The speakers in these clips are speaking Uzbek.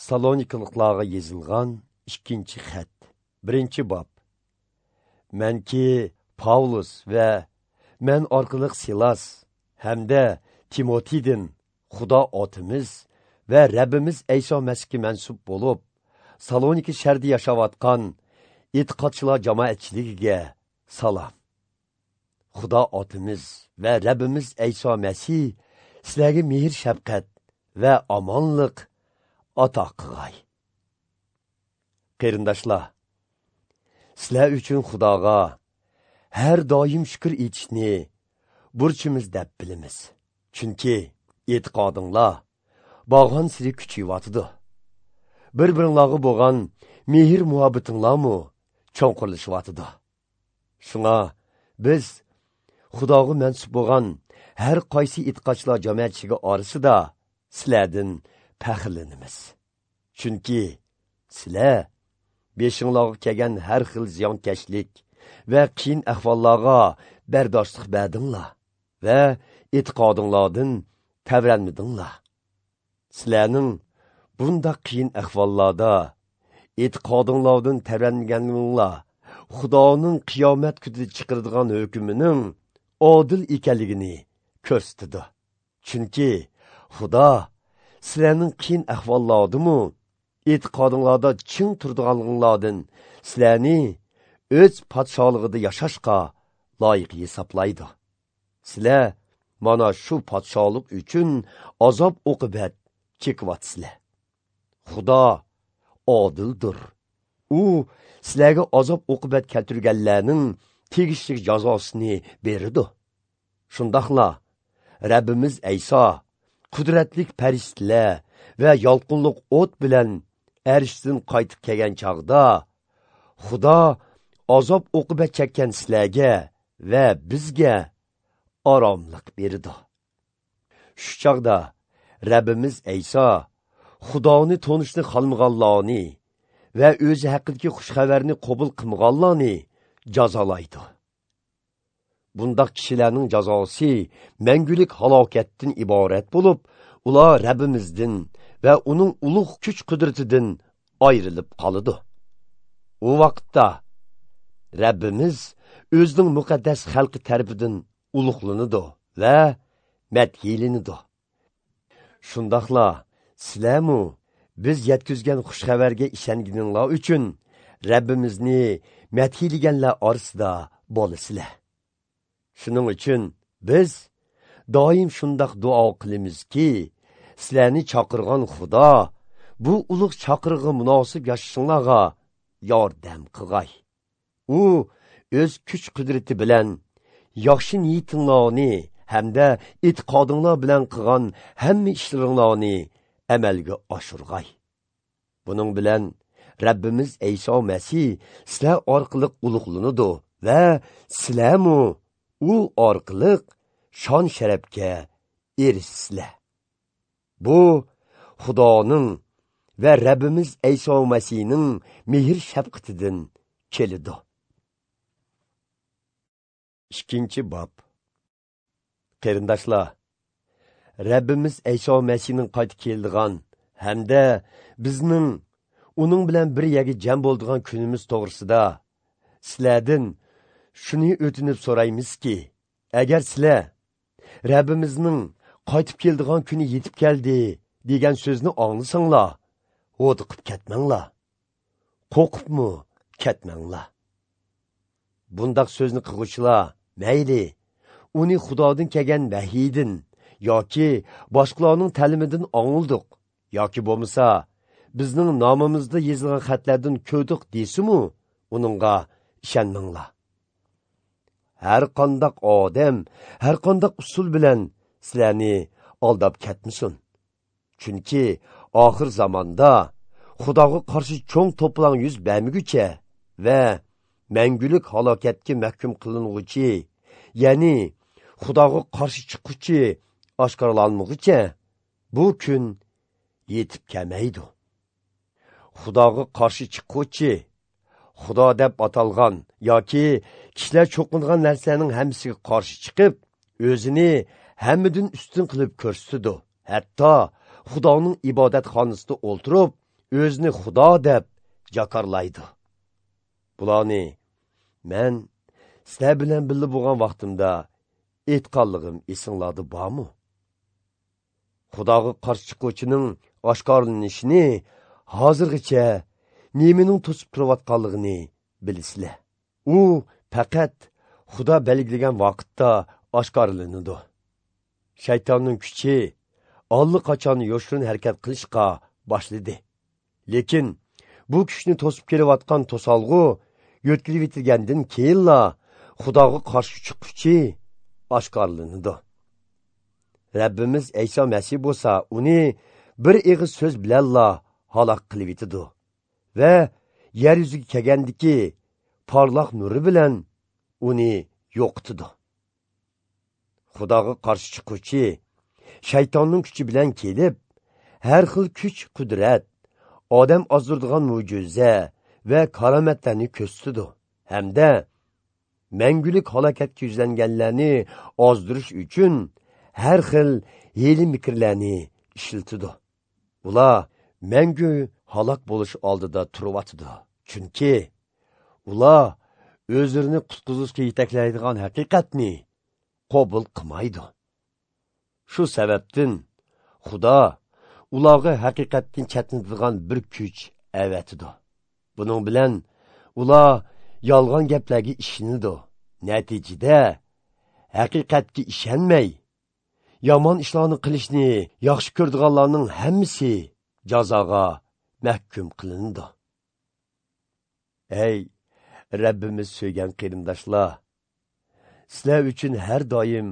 Salonikaliklarga yozilgan 2 xat, 1 bob. Manki Pavlus va men orqali Silas hamda Timotiydan Xudo otimiz va Rabbimiz Ayso Masihga mansub bo'lib, Salonika shahrida yashayotgan e'tiqodchilar jamoatchiligiga salom. Xudo otimiz va Rabbimiz Ayso Masih sizlarga mehr shafqat va omonlik ato qilg'ay. Qarindoshlar, sizlar uchun Xudoga har doim shukr etishni burchimiz deb bilamiz. Chunki e'tiqodinglar borgan siri kuchayyotidi. Bir-biringlarga bo'lgan mehr muhabbatinglarmi cho'nqurlashyotidi. Shunga biz Xudoga mansub bo'lgan har qaysi e'tiqodchilar jamoatchiligi orasida sizlardan faxrlanamiz. Chunki sizlar beshinglarga kelgan har xil ziyonkashlik va qiyin ahvollarga bardoshlik berdinglar va e'tiqodinglardan tavranmadinglar. Sizlarning bundaq qiyin ahvollarda e'tiqodinglardan tavranmaganinglar Xudoning qiyomat kunida chiqaradigan hukmining odil ekanligini ko'rsatdi. Chunki Xudo sizlarning qiyin ahvollardimi e'tiqodinglarda ching turdiganliginglardan sizlarni o'z podsholig'ida yashashga loyiq hisoblaydi. Sizlar mana shu podsholik uchun azob uqibat chekyapsizlar. Xudo odildir. U sizlarga azob uqibat keltirganlarning tegishli jazosini beradi. Shundoqla Rabbimiz Ayso qudratli farishtalar va yolqinliq o't bilan arshdan qaytib kelgan chog'da Xudo azob uqibat chekkan sizlarga va bizga oromlik berdi. Shu chog'da Rabbimiz Ayso Xudoni tonishni xohlamaganlarni va o'zi haqidagi xushxabarni qabul qilmaganlarni jazolaydi. Bundaq kishilarning jazosi mangulik halokatdan iborat bo'lib, ular Rabbimizdan va uning ulug' kuch-qudratidan ayrilib qoladi. U vaqtda Rabbimiz o'zining muqaddas xalqi tarafidan ulug'lanadi va madhiylanadi. Shundoqla sizlarmi biz yetkazgan xushxabarga ishonganinglar uchun Rabbimizni madhiylaganlar orasida bo'lasizlar. Shuning uchun biz doim shundoq duo qilamizki, sizlarni chaqirgan Xudo bu ulug' chaqirig'i munosib yashashinglarga yordam qilg'ay. U o'z kuch-qudrati bilan yaxshi niyatinglarni hamda e'tiqodinglar bilan qilgan hamma ishlaringlarni amalga oshirg'ay. Buning bilan Rabbimiz Ayso Masih sizlar orqali ulug'lanadi va sizlarmi u orqali shon sharafga erishsizlar. Bu Xudoning va Rabbimiz Ayso Masihning mehr shafqatidan keladi. 2 bob. Qarindoshlar, Rabbimiz Ayso Masihning qaytib keladigan hamda bizning uning bilan bir yerga jam bo'ladigan kunimiz to'g'risida sizlardan shuni o'tinib so'raymizki, agar sizlar Rabbimizning qaytib keladigan kuni yetib keldi degan so'zni anglasanglar, hod'iqib ketmanglar, qo'rqibmi ketmanglar. Bundaq so'zni qilg'uvchilar mayli uni Xudodan kelgan vahiydan yoki boshqalarning ta'limidan angldik yoki bo'lmasa bizning nomimizda yozilgan xatlardan ko'rdik desimu, uningga ishonmanglar. Har qandaq odam, har qandaq usul bilan sizlarni aldab ketmasin. Chunki oxir zamonda Xudoga qarshi cho'ng to'plang yuz bermaguncha va mangulik halokatga mahkum qiling'uchi, ya'ni Xudoga qarshi chiquvchi oshkorlanmaguncha bu kun yetib kelmaydi. Xudoga qarshi chiquvchi, Xudo deb atalgan yoki kishilar cho'qingan narsaning hammasiga qarshi chiqib, o'zini hammadan ustun qilib ko'rsatdi. Hatto Xudoning ibodatxonasida o'ltirib, o'zini Xudo deb jakarlaydi. Bularni men sizlar bilan birga bo'lgan vaqtimda aytganligim esinglarda bormi? Xudoga qarshi chiquvchining oshkorlanishini hozirgacha nimaning to'sib turayotganligini bilasizlar. U faqat Xudo belgilagan vaqtda oshkorlanadi. Shaytonning kuchi allaqachon yoshirin harakat qilishga boshladi. Lekin bu kuchni to'sib kelayotgan to'solg'u yo'tkilib yetilgandan keyinla Xudoga qarshi chiquvchi oshkorlanadi. Rabbimiz Ayso Masih bo'lsa, uni bir og'iz so'z bilanla halok qilib yetidi va yer yuziga kelgandiki porloq nuri bilan uni yo'qitidi. Xudoga qarshi chiquvchi shaytonning kuchi bilan kelib, har xil kuch, qudrat, odam ozdiradigan mo'jiza va karomatlarni ko'rsatdi hamda mangulik halokatga yuzlanganlarni ozdirish uchun har xil hiyla mikrlarni ishlatadi. Ular mangu halok bo'lish oldida turyotidi, chunki ular o'zlarini qutqizishga yetaklaydigan haqiqatni qabul qilmaydi. Shu sababdan Xudo ularga haqiqatdan chetlatadigan bir kuch avatidi. Buning bilan ular yolg'on gaplarga ishonadi. Natijada haqiqatga ishonmay, yomon ishlarni qilishni yaxshi ko'radiganlarning hammasi jazoga mahkum qilinadi. Ey Rabbimiz so'ygan qarindoshlar, sizlar uchun har doim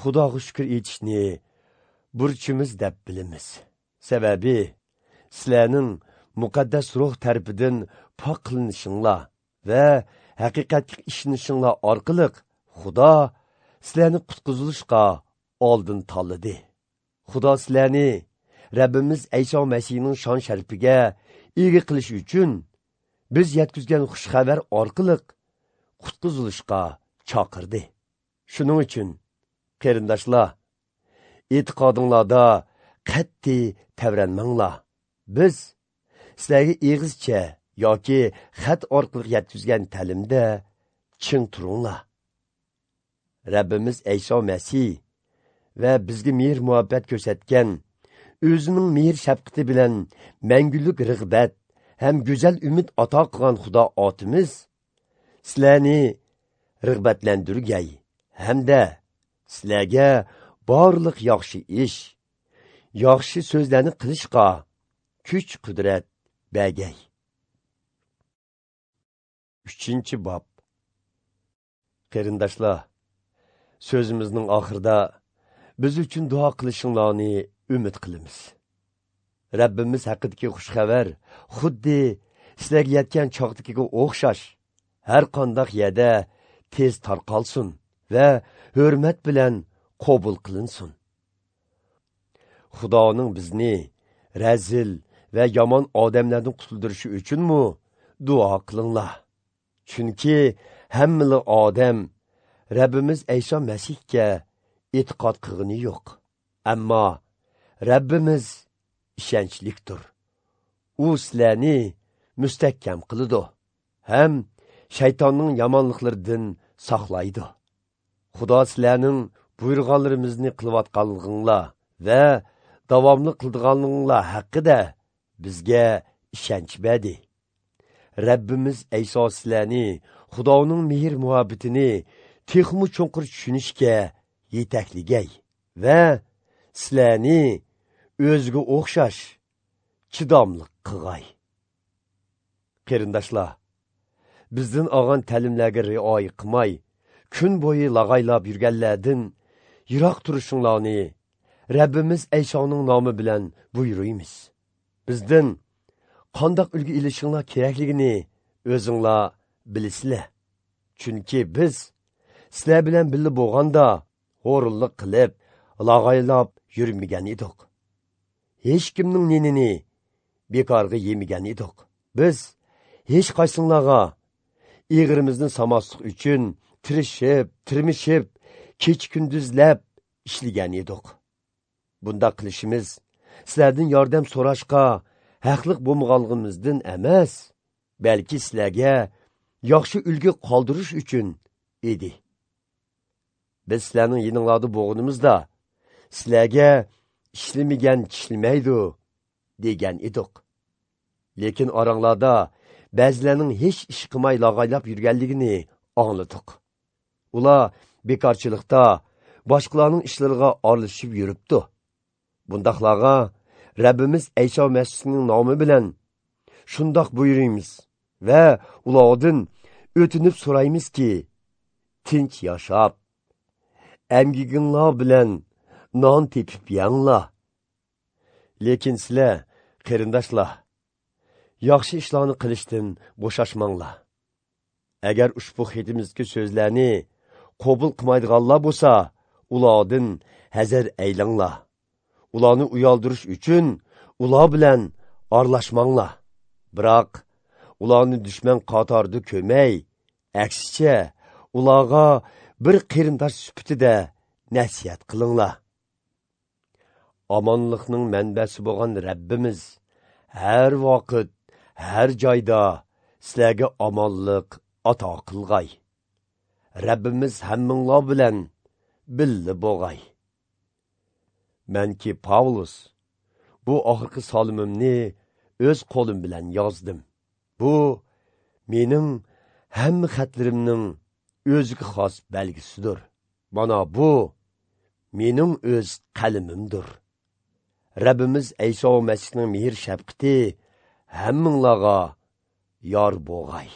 Xudoga shukr etishni burchimiz deb bilamiz. Sababi sizlarning muqaddas ruh tarafidan pok qilinishinglar va haqiqatga ishonishinglar orqali Xudo sizlarni qutqizilishga oldin tanladi. Xudo sizlarni Rabbimiz Ayso Masihning shon sharafiga ega qilish uchun biz yetkazgan xush xabar orqali qutqizilishga chaqirdi. Shuning uchun qarindoshlar, e'tiqodinglarda qat'iy tavranmanglar. Biz sizlarga eg'izcha yoki xat orqali yetkazgan ta'limda ching turinglar. Rabbimiz Ayso Masih va bizga mehr muhabbat ko'rsatgan, o'zining mehr shafqati bilan mangulik rig'bat ham go'zal umid ato qilgan Xudo otimiz sizlarni rig'batlantirgay hamda sizlarga barliq yaxshi ish, yaxshi so'zlarni qilishga kuch qudrat bergay. 3-bob. Qarindoshlar, so'zimizning oxirida biz uchun duo qilishinglarni umid qilamiz. Rabbimiz haqidagi xush xabar xuddi sizlarga yetgan chog'dagiga o'xshash har qanday yerda tez tarqalsin va hurmat bilan qabul qilinsin. Xudoning bizni razil va yomon odamlardan qutuldirishi uchunmi duo qilinglar. Chunki hamma odam Rabbimiz Ayso Masihga e'tiqod qilgani yo'q. Ammo Rabbimiz ishonchlikdir. U sizlarni mustahkam qiladi ham shaytonning yomonliklaridan saqlaydi. Xudo sizlarning buyurganlarimizni qilayotganliginglar va davomli qildiganliginglar haqida bizga ishonch berdi. Rabbimiz Ayso sizlarni Xudoning mehr muhabbatini texmi chuqur tushunishga yetakligay va sizlarni o'ziga o'xshash chidamli qilg'ay. Qarindoshlar, bizdan olgan ta'limlarga rioya qilmay, kun bo'yi lag'aylab yurganlardan yiroq turishinglarni Rabbimiz Aysoning nomi bilan buyuruymiz. Bizdan qandoq ulgu ilishinglar kerakligini o'zinglar bilasizlar. Chunki biz sizlar bilan birga bo'lganda xo'rlik qilib, lag'aylab yurmagan edik. Hech kimning nenini bekorga yemagan edik. Biz hech qaysinglarga eg'irimizni samaslik uchun tirishib, tirmishib, kech kunduzlab ishlagan edik. Bunda qilishimiz sizlardan yordam so'rashga haqliq bo'lmaganligimizdan emas, balki sizlarga yaxshi ulgu qoldirish uchun edi. Biz sizlarning yininglarda bo'lganimizda sizlarga ishlamagan tishlamaydi degan edik. Lekin oranglarda ba'zilarning hech ish qilmay lag'aylab yurganligini angladik. Ular bekorchilikda boshqalarning ishlariga aralashib yuribdi. Bundaqlarga Rabbimiz Ayso Masihning nomi bilan shundoq buyuramiz va ulardan o'tinib so'raymizki, tinch yashab, emgiginglar bilan non tepib yanglar. Lekin sizlar, qarindoshlar, yaxshi ishlarni qilishdan bo'shashmanglar. Agar ushbu xetimizdagi so'zlarni qabul qilmaydiganlar bo'lsa, ulardan hazar aylanglar. Ularni uyaldirish uchun ular bilan aralashmanglar. Biroq ularni dushman qatorida ko'may, aksicha ularga bir qarindosh sifatida nasihat qilinglar. Omonlikning manbasi bo'lgan Rabbimiz har vaqt, har joyda sizlarga omonlik ato qilg'ay. Rabbimiz hammanglar bilan birga bo'lg'ay. Menki Pavlus bu oxirgi solimimni o'z qo'lim bilan yozdim. Bu mening hamma xatlarimning o'ziga xos belgisidir. Mana bu mening o'z qalamimdir. Rabbimiz Ayso Masihning mehr shafqati hammanglarga yor bo'lg'ay.